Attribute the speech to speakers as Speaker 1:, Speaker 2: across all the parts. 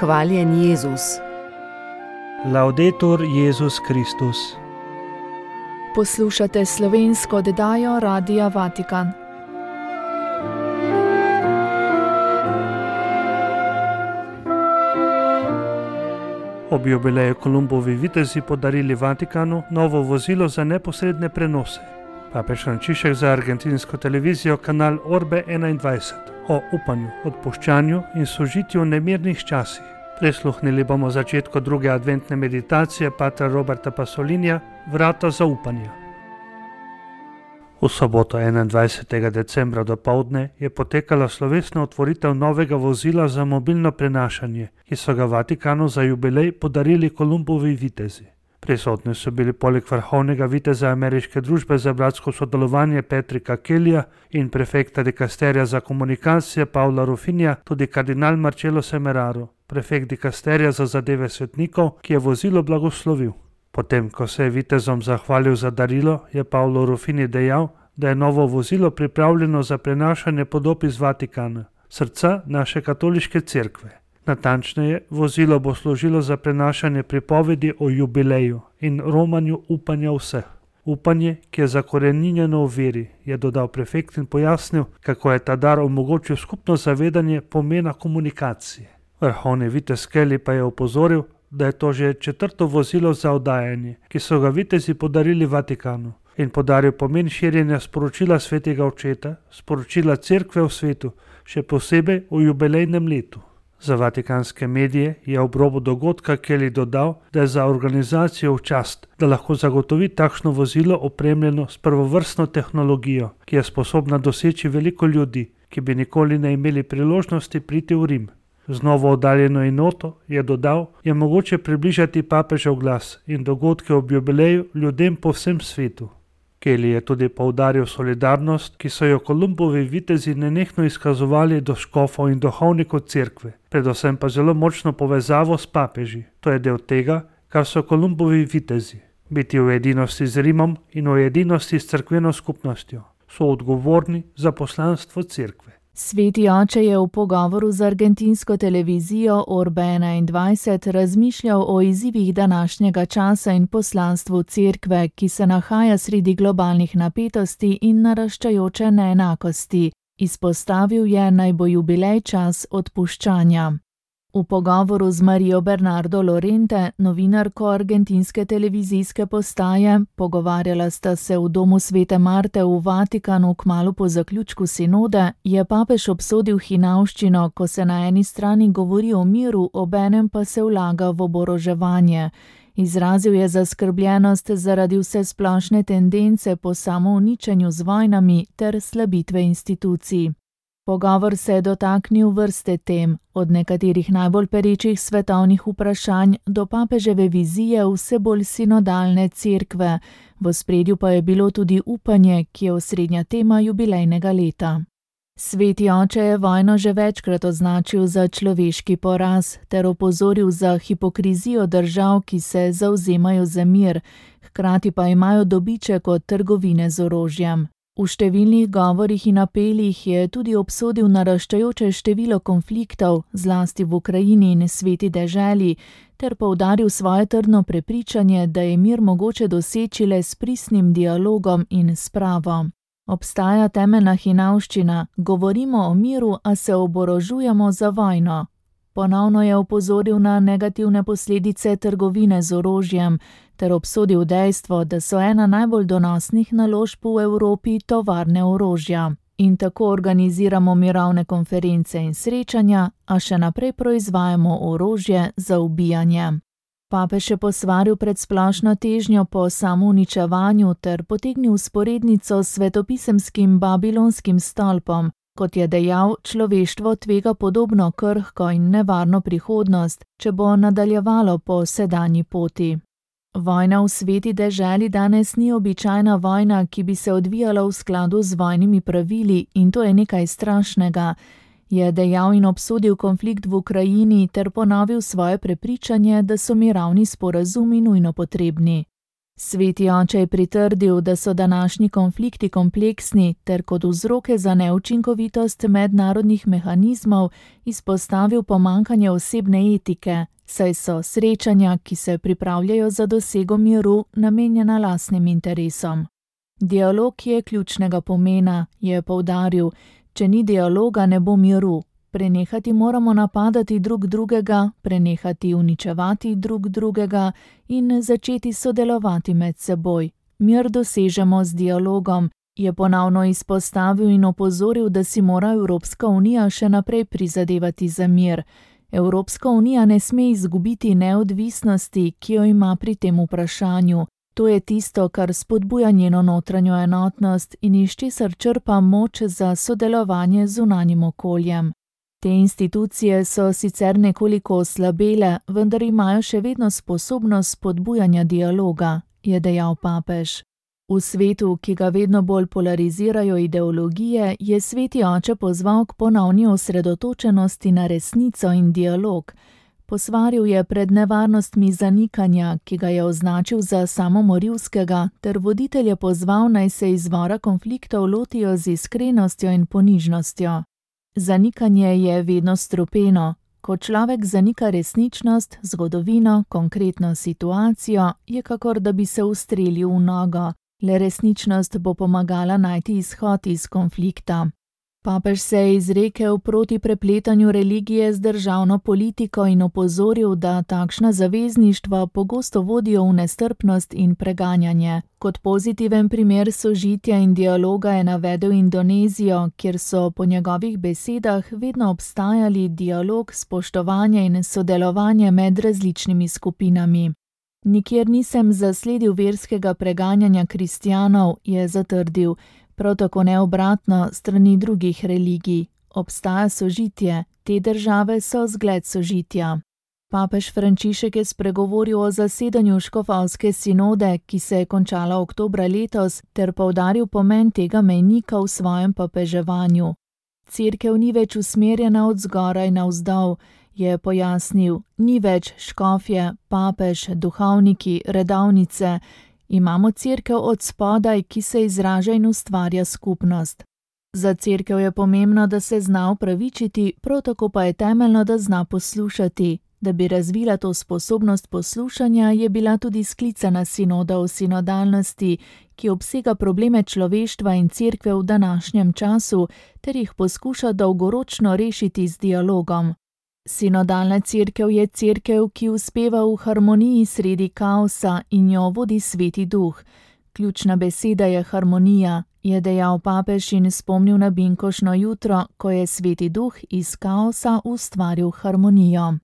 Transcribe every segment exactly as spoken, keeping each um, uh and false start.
Speaker 1: Hvaljen Jezus.
Speaker 2: Laudetur Jezus Kristus.
Speaker 3: Poslušate slovensko oddajo Radia Vatikan.
Speaker 2: Ob jubileju Kolumbovi vitezi podarili Vatikanu novo vozilo za neposredne prenose. Papež Frančišek za argentinsko televizijo kanal Orbe enaindvajset o upanju, odpuščanju in sožitju v nemirnih časih. Prisluhnili bomo začetku druge adventne meditacije patra Roberta Pasolinija Vrata zaupanja. V soboto enaindvajsetega decembra dopoldne je potekala slovesna otvoritev novega vozila za mobilno prenašanje, ki so ga Vatikanu za jubilej podarili Kolumbovi vitezi. Prisotni so bili poleg vrhovnega viteza ameriške družbe za bratsko sodelovanje Petrika Kellyja in prefekta dikasterija za komunikacije Paula Rufinija tudi kardinal Marcello Semeraro, prefekt dikasterija za zadeve svetnikov, ki je vozilo blagoslovil. Potem, ko se je vitezom zahvalil za darilo, je Paolo Rufini dejal, da je novo vozilo pripravljeno za prenašanje podob iz Vatikana, srca naše katoliške cerkve. Natančneje, vozilo bo služilo za prenašanje pripovedi o jubileju in romanju upanja vseh. Upanje, ki je zakoreninjeno v veri, je dodal prefekt in pojasnil, kako je ta dar omogočil skupno zavedanje pomena komunikacije. Vrhovni vitez Kelly pa je opozoril, da je to že četrto vozilo za oddajanje, ki so ga vitezi podarili Vatikanu, in podaril pomen širjenja sporočila svetega očeta, sporočila cerkve v svetu, še posebej v jubilejnem letu. Za vatikanske medije je ob robu dogodka Kelly dodal, da je za organizacijo v čast, da lahko zagotovi takšno vozilo opremljeno s prvovrstno tehnologijo, ki je sposobna doseči veliko ljudi, ki bi nikoli ne imeli priložnosti priti v Rim. Z novo oddaljeno enoto, je dodal, je mogoče približati papežev glas in dogodke ob jubileju ljudem po vsem svetu. Kelly je tudi poudaril solidarnost, ki so jo Kolumbovi vitezi nenehno izkazovali do škofov in duhovnikov cerkve, predvsem pa zelo močno povezavo s papeži. To je del tega, kar so Kolumbovi vitezi. Biti v edinosti z Rimom in v edinosti s cerkveno skupnostjo. So odgovorni za poslanstvo cerkve.
Speaker 3: Sveti oče je v pogovoru z argentinsko televizijo Orbe enaindvajset razmišljal o izzivih današnjega časa in poslanstvu cerkve, ki se nahaja sredi globalnih napetosti in naraščajoče neenakosti. Izpostavil je, naj bo jubilej čas odpuščanja. V pogovoru z Marijo Bernardo Lorente, novinarko argentinske televizijske postaje, pogovarjala sta se v domu svete Marte v Vatikanu kmalu po zaključku sinode, je papež obsodil hinavščino, ko se na eni strani govori o miru, obenem pa se vlaga v oboroževanje. Izrazil je zaskrbljenost zaradi vse splošne tendence po samouničenju z vojnami ter slabitve institucij. Pogovor se je dotaknil vrste tem, od nekaterih najbolj perečih svetovnih vprašanj do papeževe vizije vse bolj sinodalne cerkve, v ospredju pa je bilo tudi upanje, ki je osrednja tema jubilejnega leta. Sveti oče je vojno že večkrat označil za človeški poraz ter opozoril za hipokrizijo držav, ki se zavzemajo za mir, hkrati pa imajo dobiček od trgovine z orožjem. V številnih govorih in apelih je tudi obsodil naraščajoče število konfliktov, zlasti v Ukrajini in sveti deželi, ter poudaril svoje trdno prepričanje, da je mir mogoče doseči le s pristnim dialogom in spravo. Obstaja temeljna hinavščina, govorimo o miru, a se oborožujemo za vojno. Ponovno je opozoril na negativne posledice trgovine z orožjem ter obsodil dejstvo, da so ena najbolj donosnih naložb v Evropi tovarne orožja. In tako organiziramo mirovne konference in srečanja, a še naprej proizvajamo orožje za ubijanje. Papež je posvaril pred splošno težnjo po samouničevanju ter potegnil vzporednico s svetopisemskim babilonskim stolpom. Kot je dejal, človeštvo tvega podobno krhko in nevarno prihodnost, če bo nadaljevalo po sedanji poti. Vojna v sveti deželi danes ni običajna vojna, ki bi se odvijala v skladu z vojnimi pravili, in to je nekaj strašnega, je dejal in obsodil konflikt v Ukrajini ter ponovil svoje prepričanje, da so mirovni sporazumi nujno potrebni. Sveti oče je pritrdil, da so današnji konflikti kompleksni ter kot vzroke za neučinkovitost mednarodnih mehanizmov izpostavil pomanjkanje osebne etike, saj so srečanja, ki se pripravljajo za dosego miru, namenjena lastnim interesom. Dialog je ključnega pomena, je poudaril, če ni dialoga, ne bo miru. Prenehati moramo napadati drug drugega, prenehati uničevati drug drugega in začeti sodelovati med seboj. Mir dosežemo z dialogom, je ponovno izpostavil in opozoril, da si mora Evropska unija še naprej prizadevati za mir. Evropska unija ne sme izgubiti neodvisnosti, ki jo ima pri tem vprašanju. To je tisto, kar spodbuja njeno notranjo enotnost in iz česar črpa moč za sodelovanje z zunanjim okoljem. Te institucije so sicer nekoliko oslabele, vendar imajo še vedno sposobnost spodbujanja dialoga, je dejal papež. V svetu, ki ga vedno bolj polarizirajo ideologije, je sveti oče pozval k ponovni osredotočenosti na resnico in dialog. Posvaril je pred nevarnostmi zanikanja, ki ga je označil za samomorilskega, ter voditelje pozval, naj se izvora konfliktov lotijo z iskrenostjo in ponižnostjo. Zanikanje je vedno strupeno. Ko človek zanika resničnost, zgodovino, konkretno situacijo, je kakor da bi se ustrelil v nogo. Le resničnost bo pomagala najti izhod iz konflikta. Papež se je izrekel proti prepletanju religije z državno politiko in opozoril, da takšna zavezništva pogosto vodijo v nestrpnost in preganjanje. Kot pozitiven primer sožitja in dialoga je navedel Indonezijo, kjer so po njegovih besedah vedno obstajali dialog, spoštovanje in sodelovanje med različnimi skupinami. Nikjer nisem zasledil verskega preganjanja kristjanov, je zatrdil. Prav tako ne obratno strani drugih religij. Obstaja sožitje, te države so zgled sožitja. Papež Frančišek je spregovoril o zasedanju škofovske sinode, ki se je končala oktobra letos, ter poudaril pomen tega mejnika v svojem papeževanju. Cerkev ni več usmerjena od zgoraj navzdol, je pojasnil, ni več škofje, papež, duhovniki, redovnice. Imamo cerkev od spodaj, ki se izraža in ustvarja skupnost. Za cerkev je pomembno, da se zna upravičiti, prav tako pa je temeljno, da zna poslušati. Da bi razvila to sposobnost poslušanja, je bila tudi sklicana sinoda o sinodalnosti, ki obsega probleme človeštva in cerkve v današnjem času, ter jih poskuša dolgoročno rešiti z dialogom. Sinodalna cerkev je cerkev, ki uspeva v harmoniji sredi kaosa in jo vodi Sveti Duh. Ključna beseda je harmonija, je dejal papež in spomnil na binkošno jutro, ko je Sveti Duh iz kaosa ustvaril harmonijo.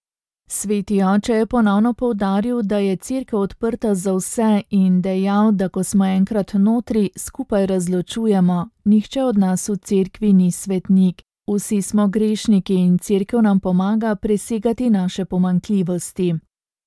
Speaker 3: Sveti oče je ponovno poudaril, da je cerkev odprta za vse in dejal, da ko smo enkrat notri, skupaj razločujemo. Nihče od nas v cerkvi ni svetnik. Vsi smo grešniki in cerkev nam pomaga presegati naše pomanjkljivosti.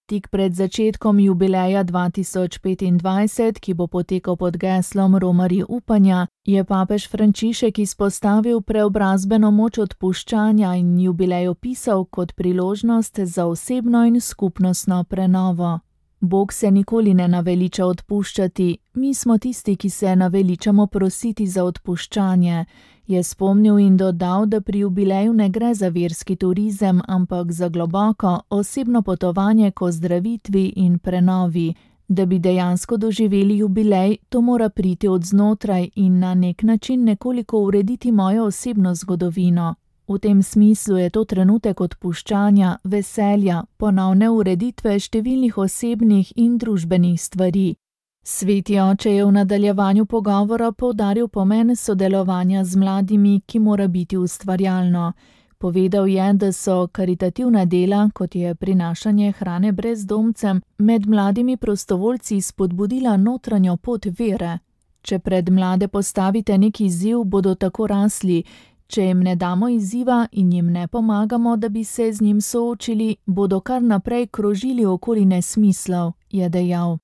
Speaker 3: Tik pred začetkom jubileja dva tisoč petindvajset, ki bo potekal pod geslom Romarji upanja, je papež Frančišek izpostavil preobrazbeno moč odpuščanja in jubilej opisal kot priložnost za osebno in skupnostno prenovo. Bog se nikoli ne naveliča odpuščati, mi smo tisti, ki se naveličamo prositi za odpuščanje, je spomnil in dodal, da pri jubileju ne gre za verski turizem, ampak za globoko, osebno potovanje k ozdravitvi in prenovi. Da bi dejansko doživeli jubilej, to mora priti od znotraj in na nek način nekoliko urediti mojo osebno zgodovino. V tem smislu je to trenutek odpuščanja, veselja, ponovne ureditve številnih osebnih in družbenih stvari. Sveti oče je v nadaljevanju pogovora poudaril pomen sodelovanja z mladimi, ki mora biti ustvarjalno. Povedal je, da so karitativna dela, kot je prinašanje hrane brezdomcem, med mladimi prostovoljci spodbudila notranjo pot vere. Če pred mlade postavite nek izziv, bodo tako rasli. Če jim ne damo izziva in jim ne pomagamo, da bi se z njim soočili, bodo kar naprej krožili okoli nesmislov, je dejal.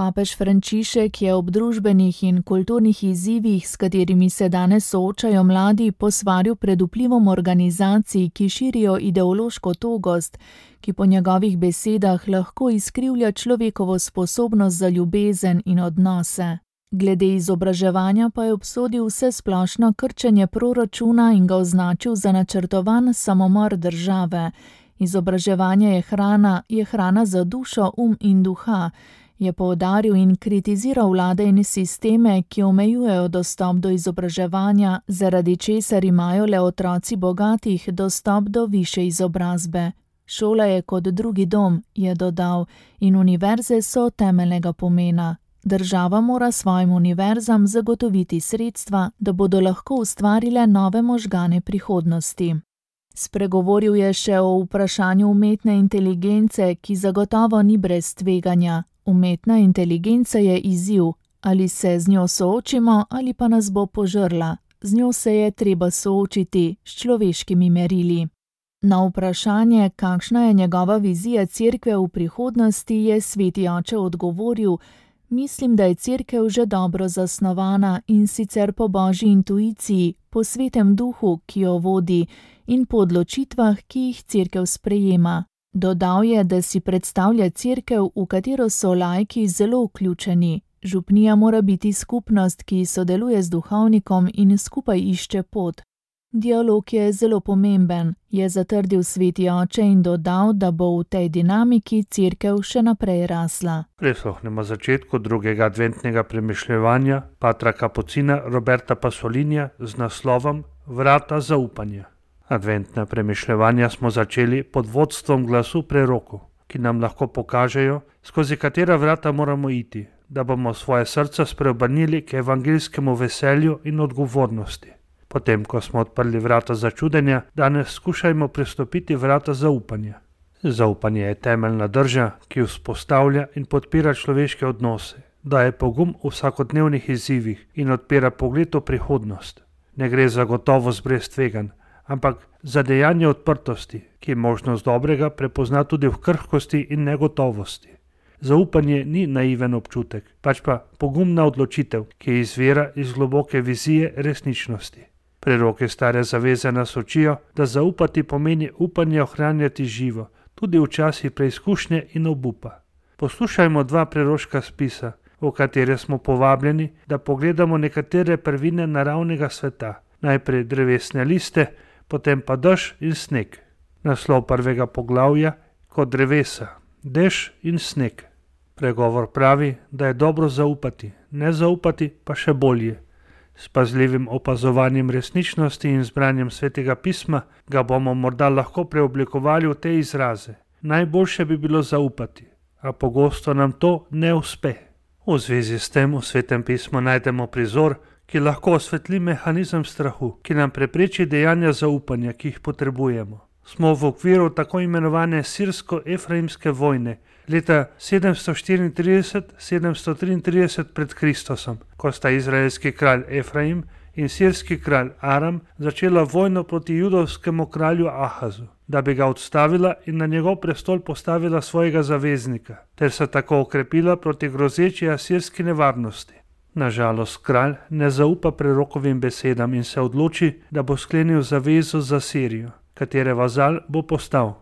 Speaker 3: Papež Frančišek je ob družbenih in kulturnih izzivih, s katerimi se danes soočajo mladi, posvaril pred vplivom organizacij, ki širijo ideološko togost, ki po njegovih besedah lahko izkrivlja človekovo sposobnost za ljubezen in odnose. Glede izobraževanja pa je obsodil vsesplošno krčenje proračuna in ga označil za načrtovan samomor države. Izobraževanje je hrana, je hrana za dušo, um in duha, je poudaril in kritiziral vlade in sisteme, ki omejujejo dostop do izobraževanja, zaradi česar imajo le otroci bogatih dostop do višje izobrazbe. Šola je kot drugi dom, je dodal, in univerze so temeljnega pomena. Država mora svojim univerzam zagotoviti sredstva, da bodo lahko ustvarile nove možgane prihodnosti. Spregovoril je še o vprašanju umetne inteligence, ki zagotovo ni brez tveganja. Umetna inteligenca je izziv, ali se z njo soočimo ali pa nas bo požrla. Z njo se je treba soočiti s človeškimi merili. Na vprašanje, kakšna je njegova vizija cerkve v prihodnosti, je sveti oče odgovoril: Mislim, da je cerkev že dobro zasnovana in sicer po božji intuiciji, po svetem duhu, ki jo vodi, in po odločitvah, ki jih cerkev sprejema. Dodal je, da si predstavlja cerkev, v katero so laiki zelo vključeni. Župnija mora biti skupnost, ki sodeluje z duhovnikom in skupaj išče pot. Dialog je zelo pomemben, je zatrdil sveti oče in dodal, da bo v tej dinamiki cerkev še naprej rasla.
Speaker 2: Prisluhnemo začetku drugega adventnega premišljevanja patra kapucina Roberta Pasolinija z naslovom Vrata zaupanja. Adventna premišljevanja smo začeli pod vodstvom glasu prerokov, ki nam lahko pokažejo, skozi katera vrata moramo iti, da bomo svoje srca spreobrnili k evangeljskemu veselju in odgovornosti. Potem, ko smo odprli vrata začudenja, danes skušajmo pristopiti vrata zaupanja. Zaupanje je temeljna drža, ki vzpostavlja in podpira človeške odnose, daje pogum v vsakodnevnih izzivih in odpira pogled v prihodnost. Ne gre za gotovost brez tveganj, ampak za dejanje odprtosti, ki možnost dobrega prepozna tudi v krhkosti in negotovosti. Zaupanje ni naiven občutek, pač pa pogumna odločitev, ki izvira iz globoke vizije resničnosti. Preroke stare zaveze nas učijo, da zaupati pomeni upanje ohranjati živo, tudi v časih preizkušnje in obupa. Poslušajmo dva preroška spisa, v katere smo povabljeni, da pogledamo nekatere prvine naravnega sveta, najprej drevesne liste, potem pa dež in sneg. Naslov prvega poglavja kot drevesa, dež in sneg. Pregovor pravi, da je dobro zaupati, ne zaupati pa še bolje. S pazljivim opazovanjem resničnosti in zbranjem svetega pisma ga bomo morda lahko preoblikovali v te izraze. Najboljše bi bilo zaupati, a pogosto nam to ne uspe. V zvezi s tem v svetem pismu najdemo prizor, ki lahko osvetli mehanizem strahu, ki nam prepreči dejanja zaupanja, ki jih potrebujemo. Smo v okviru tako imenovane sirsko-efraimske vojne leta sedemsto štiriintrideset sedemsto triintrideset pred Kristusom, ko sta izraelski kralj Efraim in sirski kralj Aram začela vojno proti judovskemu kralju Ahazu, da bi ga odstavila in na njegov prestol postavila svojega zaveznika, ter se tako okrepila proti grozeči asirski nevarnosti. Nažalost, kralj ne zaupa prerokovim besedam in se odloči, da bo sklenil zavezo za Sirijo, katere vazal bo postal.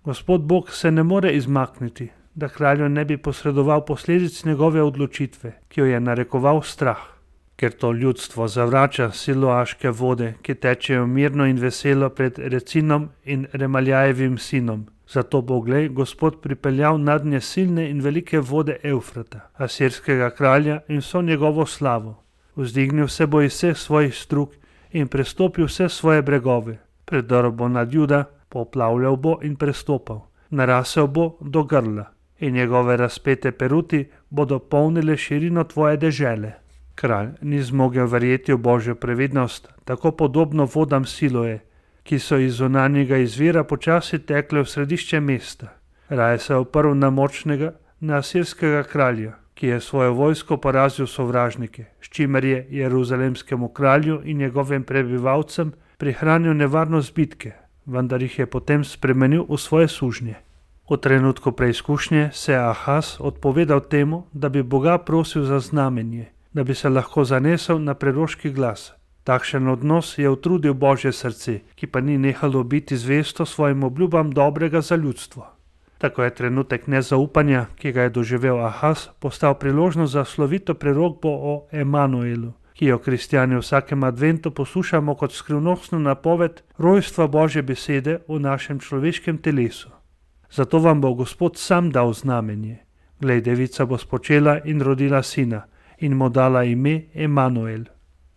Speaker 2: Gospod Bog se ne more izmakniti, da kralju ne bi posredoval posledic njegove odločitve, ki jo je narekoval strah. Ker to ljudstvo zavrača siloaške vode, ki tečejo mirno in veselo pred Recinom in Remaljajevim sinom, zato bo glej Gospod pripeljal nadnje silne in velike vode Evfrata, asirskega kralja in vso njegovo slavo. Vzdignil se bo iz vseh svojih strug in prestopil vse svoje bregove. Predrl bo nad Juda, poplavljal bo in prestopal, narasel bo do grla in njegove razpete peruti bodo polnile širino tvoje dežele. Kralj ni zmogel verjeti v Božjo previdnost, tako podobno vodam Siloje, ki so iz zunanjega izvira počasi tekle v središče mesta. Raje se oprl na močnega, na asirskega kralja, ki je svojo vojsko porazil sovražnike, s čimer je jeruzalemskemu kralju in njegovim prebivalcem prihranil nevarnost bitke, vendar jih je potem spremenil v svoje sužnje. V trenutku preizkušnje se je Ahaz odpovedal temu, da bi Boga prosil za znamenje, da bi se lahko zanesel na preroški glas. Takšen odnos je utrudil Božje srce, ki pa ni nehalo biti zvesto svojim obljubam dobrega za ljudstvo. Tako je trenutek nezaupanja, ki ga je doživel Ahaz, postal priložnost za slovito prerokbo o Emanuelu, ki jo kristjani v vsakem adventu poslušamo kot skrivnostno napoved rojstva Božje besede v našem človeškem telesu. Zato vam bo Gospod sam dal znamenje. Glej, devica bo spočela in rodila sina in mu dala ime Emanuel.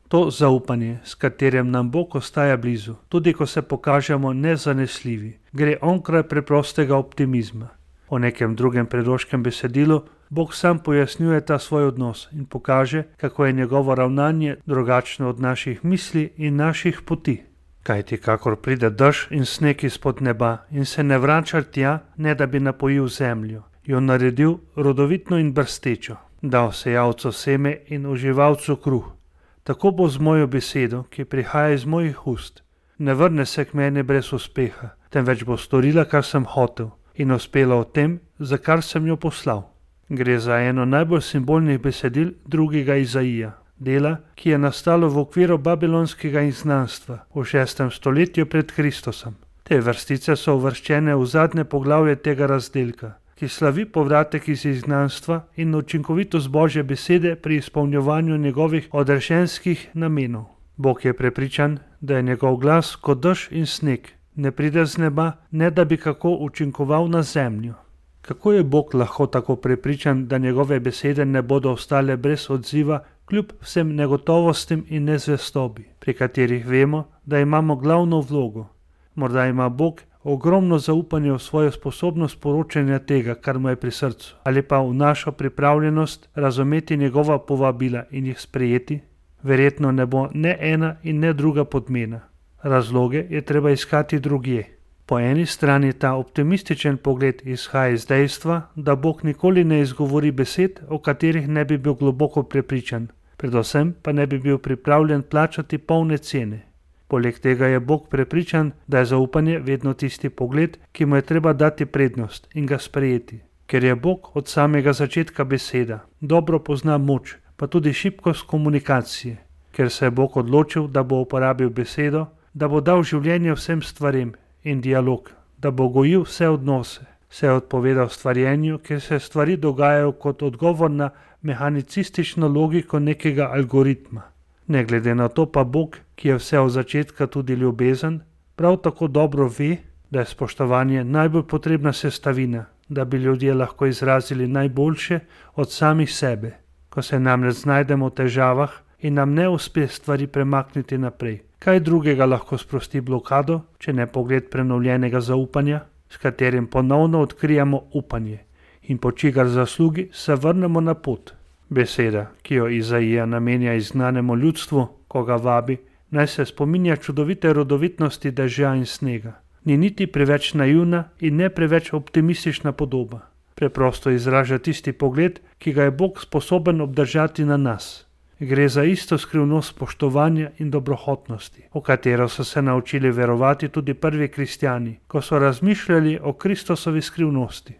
Speaker 2: To zaupanje, s katerim nam Bog ostaja blizu, tudi ko se pokažemo nezanesljivi, gre onkraj preprostega optimizma. V nekem drugem preroškem besedilu Bog sam pojasnjuje ta svoj odnos in pokaže, kako je njegovo ravnanje drugačno od naših misli in naših poti. Kajti kakor pride dež in sneg izpod neba in se ne vrača tja, ne da bi napojil zemljo, jo naredil rodovitno in brstečo, dal sejalcu seme in uživalcu kruh. Tako bo z mojo besedo, ki prihaja iz mojih ust. Ne vrne se k meni brez uspeha, temveč bo storila, kar sem hotel, in uspela v tem, za kar sem jo poslal. Gre za eno najbolj simbolnih besedil drugega Izaija, dela, ki je nastalo v okviru babilonskega izgnanstva v šestem stoletju pred Kristusom. Te vrstice so uvrščene v zadnje poglavje tega razdelka, ki slavi povratek iz izgnanstva in učinkovitost Božje besede pri izpolnjevanju njegovih odrešenskih namenov. Bog je prepričan, da je njegov glas kot dež in sneg, ne pride z neba, ne da bi kako učinkoval na zemljo. Kako je Bog lahko tako prepričan, da njegove besede ne bodo ostale brez odziva, kljub vsem negotovostim in nezvestobi, pri katerih vemo, da imamo glavno vlogo? Morda ima Bog ogromno zaupanje v svojo sposobnost poročanja tega, kar mu je pri srcu, ali pa v našo pripravljenost razumeti njegova povabila in jih sprejeti? Verjetno ne bo ne ena in ne druga podmena. Razloge je treba iskati drugje. Po eni strani ta optimističen pogled izhaja iz dejstva, da Bog nikoli ne izgovori besed, o katerih ne bi bil globoko prepričan, predvsem pa ne bi bil pripravljen plačati polne cene. Poleg tega je Bog prepričan, da je zaupanje vedno tisti pogled, ki mu je treba dati prednost in ga sprejeti. Ker je Bog od samega začetka beseda, dobro pozna moč, pa tudi šibkost komunikacije. Ker se je Bog odločil, da bo uporabil besedo, da bo dal življenje vsem stvarem in dialog, da bo gojil vse odnose, se je odpovedal stvarjenju, ker se stvari dogajajo kot odgovor na mehanicistično logiko nekega algoritma. Ne glede na to pa Bog, ki je vse od začetka tudi ljubezen, prav tako dobro ve, da je spoštovanje najbolj potrebna sestavina, da bi ljudje lahko izrazili najboljše od samih sebe. Ko se namreč znajdemo v težavah in nam ne uspe stvari premakniti naprej, kaj drugega lahko sprosti blokado, če ne pogled prenovljenega zaupanja, s katerim ponovno odkrijamo upanje in po čigar zaslugi se vrnemo na pot. Beseda, ki jo Izaija namenja izgnanemu ljudstvu, ko ga vabi, naj se spominja čudovite rodovitnosti dežja in snega. Ni niti preveč naivna in ne preveč optimistična podoba. Preprosto izraža tisti pogled, ki ga je Bog sposoben obdržati na nas. Gre za isto skrivnost spoštovanja in dobrohotnosti, v katero so se naučili verovati tudi prvi kristjani, ko so razmišljali o Kristusovi skrivnosti.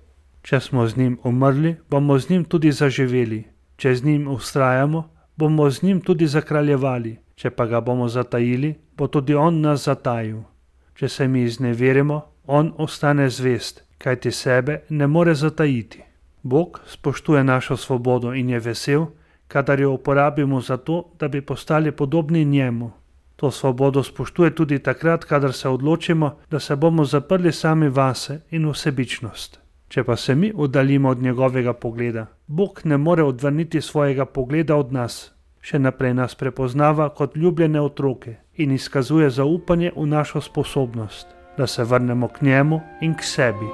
Speaker 2: Če smo z njim umrli, bomo z njim tudi zaživeli. Če z njim vztrajamo, bomo z njim tudi zakraljevali. Če pa ga bomo zatajili, bo tudi on nas zatajil. Če se mi izneverimo, on ostane zvest, kajti sebe ne more zatajiti. Bog spoštuje našo svobodo in je vesel, kadar jo uporabimo za to, da bi postali podobni njemu. To svobodo spoštuje tudi takrat, kadar se odločimo, da se bomo zaprli sami vase in v sebičnost. Če pa se mi oddaljimo od njegovega pogleda, Bog ne more odvrniti svojega pogleda od nas. Še naprej nas prepoznava kot ljubljene otroke in izkazuje zaupanje v našo sposobnost, da se vrnemo k njemu in k sebi.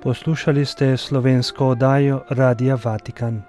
Speaker 2: Poslušali ste slovensko oddajo Radia Vatikan.